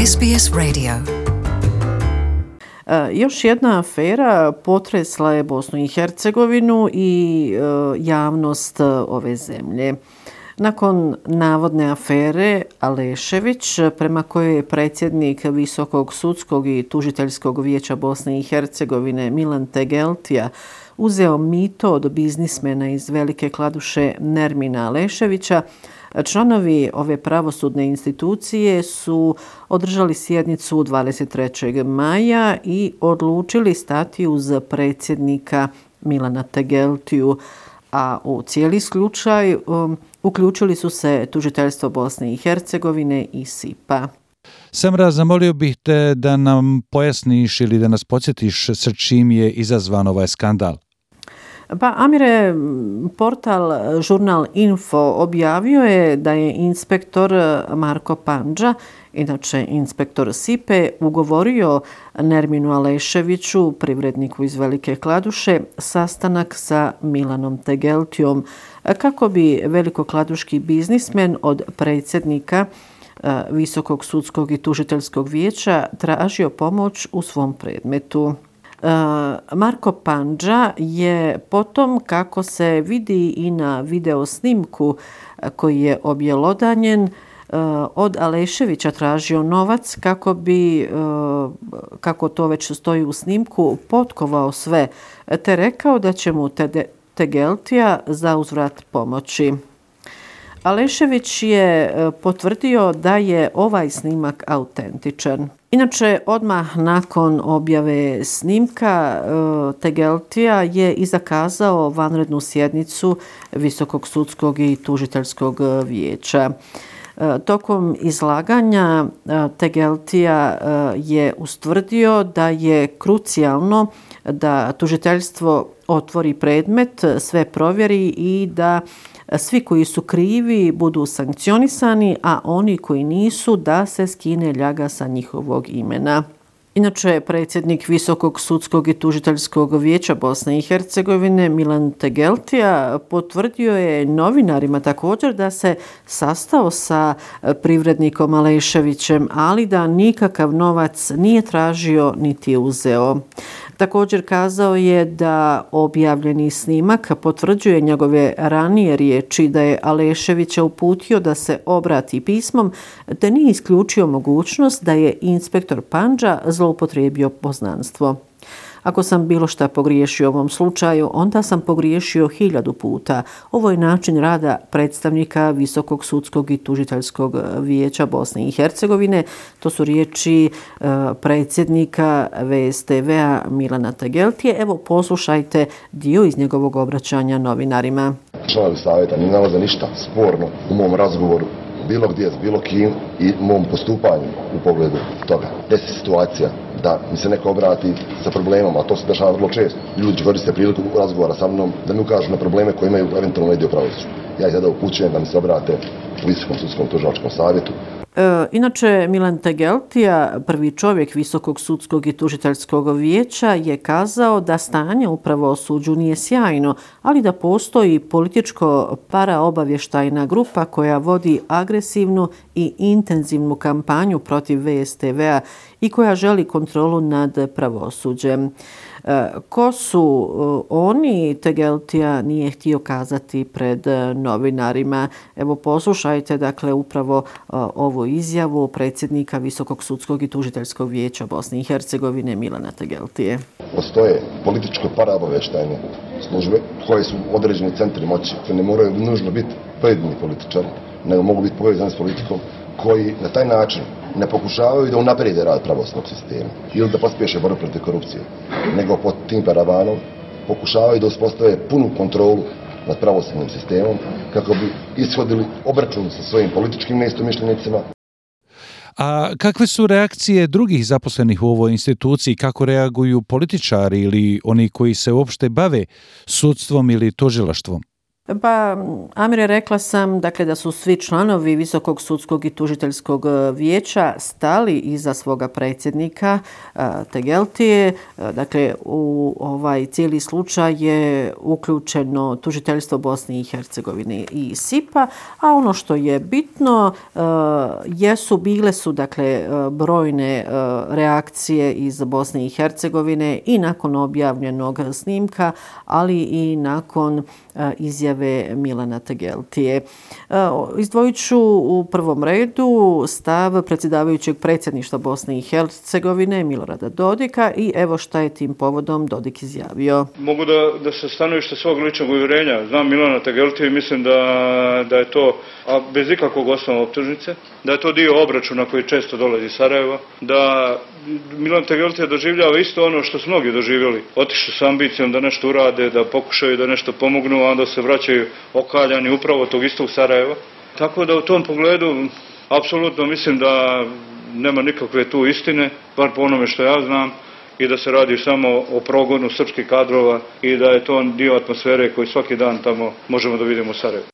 SBS Radio. Još jedna afera potresla je Bosnu i Hercegovinu i javnost ove zemlje. Nakon navodne afere Alešević, prema kojoj je predsjednik Visokog sudskog i tužiteljskog vijeća Bosne i Hercegovine Milan Tegeltija uzeo mito od biznismena iz Velike Kladuše Nermina Aleševića, članovi ove pravosudne institucije su održali sjednicu 23. maja i odlučili stati uz predsjednika Milana Tegeltiju, a u cijeli slučaj uključili su se tužiteljstvo Bosne i Hercegovine i SIP-a. Samra, zamolio bih te da nam pojasniš ili da nas podsjetiš sa čim je izazvan ovaj skandal. Pa, Amire, portal Žurnal Info objavio je da je inspektor Marko Pandža, inače inspektor SIP-e, ugovorio Nerminu Aleševiću, privredniku iz Velike Kladuše, sastanak sa Milanom Tegeltijom kako bi velikokladuški biznismen od predsjednika Visokog sudskog i tužiteljskog vijeća tražio pomoć u svom predmetu. Marko Pandža je potom, kako se vidi i na videosnimku koji je objelodanjen, od Aleševića tražio novac kako bi, kako to već stoji u snimku, potkovao sve, te rekao da će mu Tegeltija za uzvrat pomoći. Alešević je potvrdio da je ovaj snimak autentičan. Inače, odmah nakon objave snimka Tegeltija je i zakazao vanrednu sjednicu Visokog sudskog i tužiteljskog vijeća. Tokom izlaganja Tegeltija je ustvrdio da je krucijalno da tužiteljstvo otvori predmet, sve provjeri i da svi koji su krivi budu sankcionisani, a oni koji nisu da se skine ljaga sa njihovog imena. Inače, predsjednik Visokog sudskog i tužiteljskog vijeća Bosne i Hercegovine Milan Tegeltija potvrdio je novinarima također da se sastao sa privrednikom Aleševićem, ali da nikakav novac nije tražio niti uzeo. Također kazao je da objavljeni snimak potvrđuje njegove ranije riječi da je Aleševića uputio da se obrati pismom, te nije isključio mogućnost da je inspektor Pandža zloupotrijebio poznanstvo. Ako sam bilo šta pogriješio u ovom slučaju, onda sam pogriješio 1000 puta. Ovo je način rada predstavnika Visokog sudskog i tužiteljskog vijeća Bosne i Hercegovine. To su riječi predsjednika VSTV-a Milana Tegeltije. Evo, poslušajte dio iz njegovog obraćanja novinarima. Članovi savjeta ne nalaze ništa sporno u mom razgovoru bilo gdje s bilo kim i mom postupanju u pogledu toga. Desi situacija da mi se neko obrati sa problemom, a to se dešava vrlo često. Ljudi koriste priliku razgovora sa mnom da mi ukažu na probleme koje imaju eventualno dio pravosuđa. Ja ih tada upućujem da mi se obrate u Visokom sudskom tužilačkom savjetu. Inače, Milan Tegeltija, prvi čovjek Visokog sudskog i tužiteljskog vijeća, je kazao da stanje u pravosuđu nije sjajno, ali da postoji političko paraobavještajna grupa koja vodi agresivnu i intenzivnu kampanju protiv VSTV-a i koja želi kontrolu nad pravosuđem. Ko su oni, Tegeltija nije htio kazati pred novinarima. Evo, poslušajte dakle upravo ovu izjavu predsjednika Visokog sudskog i tužiteljskog vijeća Bosne i Hercegovine Milana Tegeltije. Postoje političko paraobavještajne službe koje su određeni centri moći, ne moraju nužno biti pojedini političari, nego mogu biti povezani s politikom, koji na taj način ne pokušavaju da unaprijede rad pravosudnog sistema ili da pospješe borbu protiv korupcije, nego pod tim parabanom pokušavaju da uspostave punu kontrolu nad pravosudnim sistemom kako bi ishodili obračun sa svojim političkim neistomišljenicima. A kakve su reakcije drugih zaposlenih u ovoj instituciji? Kako reaguju političari ili oni koji se uopšte bave sudstvom ili tužilaštvom? Pa, Amire, rekla sam dakle, da su svi članovi Visokog sudskog i tužiteljskog vijeća stali iza svoga predsjednika Tegeltije. Dakle, u ovaj cijeli slučaj je uključeno tužiteljstvo Bosne i Hercegovine i SIP-a, a ono što je bitno bile su dakle brojne reakcije iz Bosne i Hercegovine i nakon objavljenog snimka, ali i nakon izjave Milana Tegeltije. Izdvojit ću u prvom redu stav predsjedavajućeg predsjedništva Bosne i Hercegovine Milorada Dodika i evo šta je tim povodom Dodik izjavio. Mogu da se stanovište svog ličnog uvjerenja. Znam Milana Tegeltiju i mislim da je to, a bez ikakvog osnova optužnice, da je to dio obračuna koji često dolazi iz Sarajeva, da Milan Tegeltija doživljava isto ono što su mnogi doživjeli. Otišli s ambicijom da nešto urade, da pokušaju da nešto pomognu, a onda se vraćaju okaljani upravo tog istog Sarajeva. Tako da u tom pogledu apsolutno mislim da nema nikakve tu istine, bar po onome što ja znam, i da se radi samo o progonu srpskih kadrova i da je to dio atmosfere koju svaki dan tamo možemo da vidimo u Sarajevu.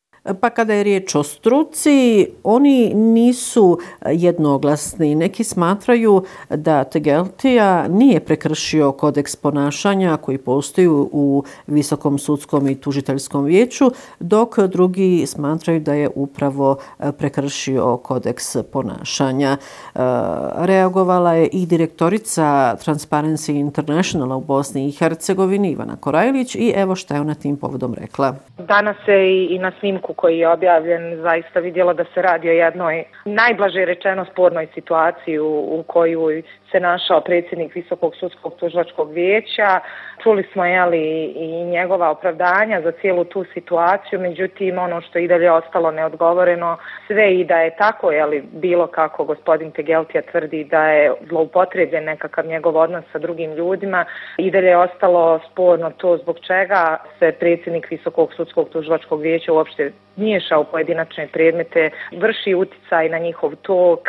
Pa kada je riječ o struci, oni nisu jednoglasni. Neki smatraju da Tegeltija nije prekršio kodeks ponašanja koji postoji u Visokom sudskom i tužiteljskom vijeću, dok drugi smatraju da je upravo prekršio kodeks ponašanja. Reagovala je i direktorica Transparency Internationala u Bosni i Hercegovini Ivana Korajlić i evo šta je ona tim povodom rekla. Danas se i na snimku koji je objavljen zaista vidjela da se radi o jednoj najblaže rečeno spornoj situaciji u kojoj se našao predsjednik Visokog sudskog tužilačkog vijeća. Čuli smo i njegova opravdanja za cijelu tu situaciju, međutim ono što i dalje ostalo neodgovoreno, sve i da je tako, bilo kako gospodin Tegeltija tvrdi da je zloupotrebljen nekakav njegov odnos sa drugim ljudima, i dalje je ostalo sporno to zbog čega se predsjednik Visokog sudskog tužilačkog vijeća uopšte miješa u pojedinačne predmete, vrši uticaj na njihov tok,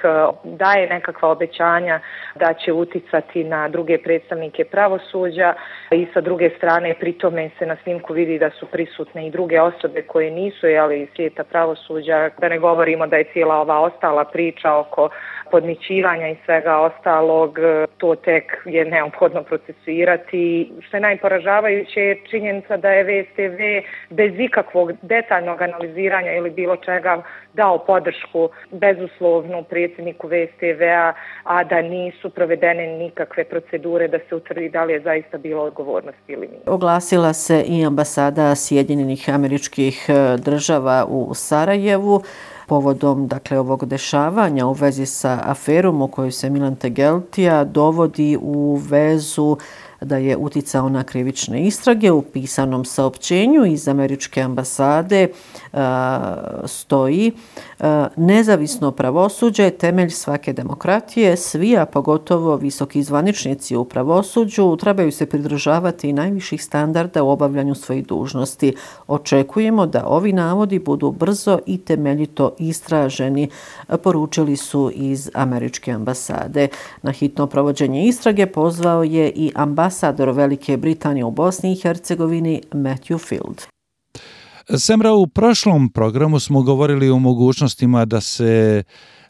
daje nekakva obećanja da će uticati na druge predstavnike pravosuđa i sa druge strane pri tome se na snimku vidi da su prisutne i druge osobe koje nisu iz svijeta pravosuđa. Da ne govorimo da je cijela ova ostala priča oko podmićivanja i svega ostalog, to tek je neophodno procesuirati. Što je najporažavajuće je činjenica da je VSTV bez ikakvog detaljnog analiziranja ili bilo čega dao podršku bezuslovnu predsjedniku VSTV-a, a da nisu provedene nikakve procedure da se utvrdi da li je zaista bilo odgovornosti ili nije. Oglasila se i ambasada Sjedinjenih Američkih Država u Sarajevu povodom ovog dešavanja u vezi sa aferom u kojoj se Milan Tegeltija dovodi u vezu da je uticao na krivične istrage. U pisanom saopćenju iz američke ambasade stoji: nezavisno pravosuđe je temelj svake demokratije, svi, a pogotovo visoki zvaničnici u pravosuđu, trebaju se pridržavati najviših standarda u obavljanju svojih dužnosti. Očekujemo da ovi navodi budu brzo i temeljito istraženi, poručili su iz američke ambasade. Na hitno provođenje istrage pozvao je i ambasador Velike Britanije u Bosni i Hercegovini Matthew Field. Semra, u prošlom programu smo govorili o mogućnostima da se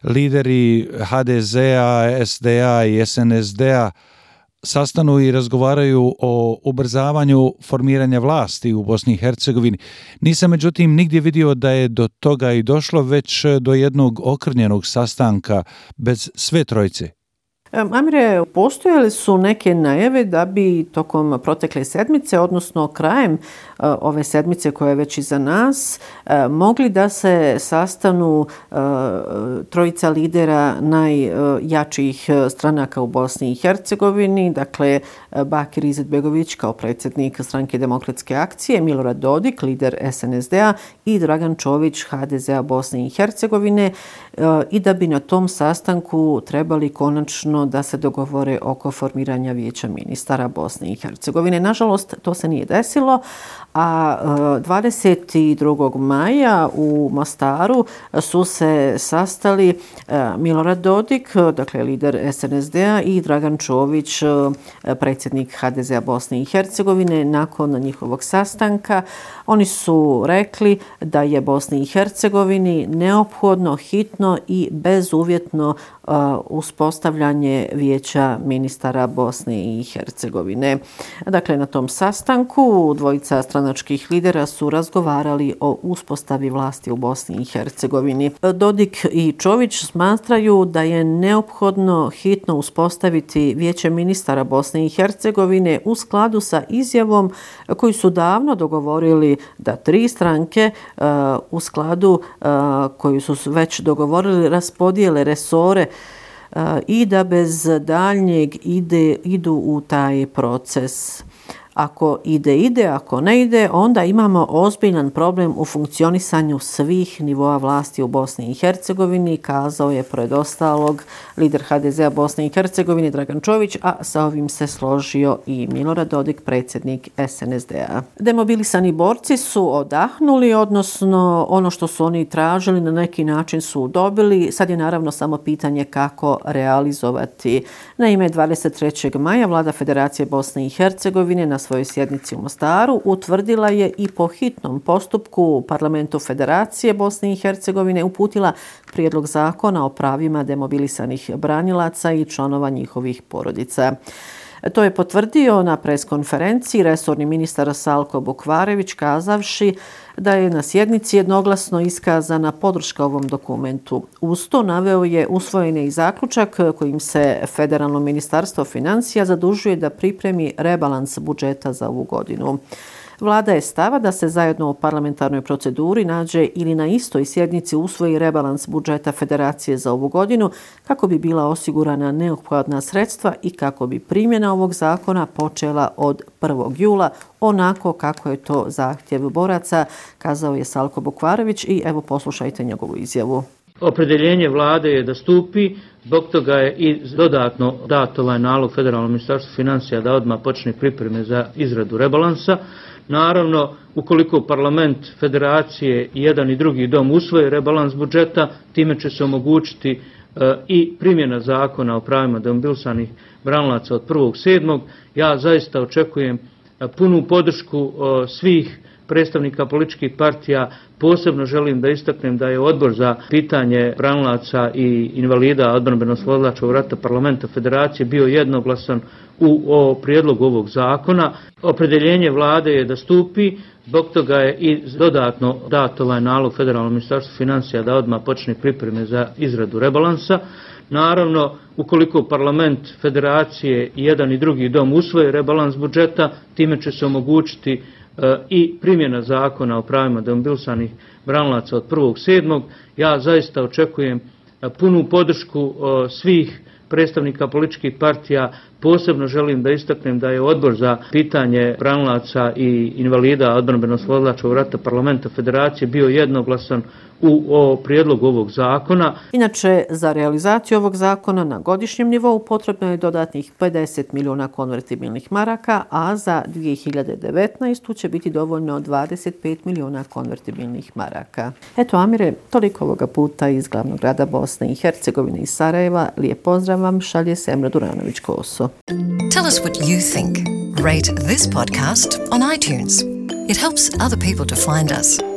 lideri HDZ-a, SDA i SNSD-a sastanu i razgovaraju o ubrzavanju formiranja vlasti u Bosni i Hercegovini. Nisam međutim nigdje vidio da je do toga i došlo, već do jednog okrnjenog sastanka bez sve trojice. Amire, postojale su neke najave da bi tokom protekle sedmice, odnosno krajem ove sedmice koja je već iza nas, mogli da se sastanu trojica lidera najjačih stranaka u Bosni i Hercegovini, dakle Bakir Izetbegović kao predsjednik Stranke demokratske akcije, Milorad Dodik, lider SNSD-a i Dragan Čović, HDZ-a Bosne i Hercegovine, i da bi na tom sastanku trebali konačno odnosno da se dogovore oko formiranja vijeća ministara Bosne i Hercegovine. Nažalost, to se nije desilo, a 22. maja u Mostaru su se sastali Milorad Dodik, dakle lider SNSD-a, i Dragan Čović, predsjednik HDZ-a Bosne i Hercegovine. Nakon njihovog sastanka oni su rekli da je Bosni i Hercegovini neophodno, hitno i bezuvjetno uspostavljanje vijeća ministara Bosne i Hercegovine. Dakle, na tom sastanku dvojica stranačkih lidera su razgovarali o uspostavi vlasti u Bosni i Hercegovini. Dodik i Čović smatraju da je neophodno hitno uspostaviti vijeće ministara Bosne i Hercegovine u skladu sa izjavom koju su davno dogovorili da tri stranke u skladu koju su već dogovorili raspodijele resore i da bez daljnjeg idu u taj proces. Ako ide, ako ne ide, onda imamo ozbiljan problem u funkcionisanju svih nivoa vlasti u Bosni i Hercegovini, kazao je pored ostalog lider HDZ-a Bosne i Hercegovine Dragan Čović, a sa ovim se složio i Milorad Dodik, predsjednik SNSD-a. Demobilisani borci su odahnuli, odnosno ono što su oni tražili na neki način su dobili. Sad je naravno samo pitanje kako realizovati. Naime, 23. maja vlada Federacije Bosne i Hercegovine na svojoj sjednici u Mostaru utvrdila je i po hitnom postupku Parlamentu Federacije Bosne i Hercegovine uputila prijedlog zakona o pravima demobilisanih branilaca i članova njihovih porodica. To je potvrdio na preskonferenciji resorni ministar Salko Bukvarević, kazavši da je na sjednici jednoglasno iskazana podrška ovom dokumentu. Uz to naveo je usvojeni zaključak kojim se Federalno ministarstvo financija zadužuje da pripremi rebalans budžeta za ovu godinu. Vlada je stava da se zajedno u parlamentarnoj proceduri nađe ili na istoj sjednici usvoji rebalans budžeta Federacije za ovu godinu kako bi bila osigurana neophodna sredstva i kako bi primjena ovog zakona počela od 1. jula, onako kako je to zahtjev boraca, kazao je Salko Bukvarević i evo poslušajte njegovu izjavu. Opredjeljenje vlade je da stupi, zbog toga je i dodatno dat ovaj nalog Federalnom ministarstvu financija da odmah počne pripreme za izradu rebalansa. Naravno, ukoliko parlament Federacije i jedan i drugi dom usvoje rebalans budžeta, time će se omogućiti i primjena zakona o pravima demobilisanih branilaca od 1.7. Ja zaista očekujem punu podršku svih predstavnika političkih partija. Posebno želim da istaknem da je Odbor za pitanje branilaca i invalida odbrambeno-oslobodilačkog rata Parlamenta Federacije bio jednoglasan u prijedlogu ovog zakona. Opredjeljenje vlade je da stupi, zbog toga je i dodatno dat ovaj nalog Federalnom ministarstvu financija da odmah počne pripreme za izradu rebalansa. Naravno, ukoliko parlament Federacije i jedan i drugi dom usvoje rebalans budžeta, time će se omogućiti i primjena zakona o pravima demobilisanih branilaca od 1.7. Ja zaista očekujem punu podršku svih predstavnika političkih partija. Posebno želim da istaknem da je Odbor za pitanje branilaca i invalida odbrambeno-oslobodilačkog rata Parlamenta Federacije bio jednoglasan u prijedlogu ovog zakona. Inače, za realizaciju ovog zakona na godišnjem nivou potrebno je dodatnih 50 milijuna konvertibilnih maraka, a za 2019. će biti dovoljno 25 milijuna konvertibilnih maraka. Eto, Amire, toliko ovoga puta iz glavnog grada Bosne i Hercegovine iz Sarajeva. Lijep pozdrav vam šalje Semra Duranović-Koso. Tell us what you think. Rate this podcast on iTunes. It helps other people to find us.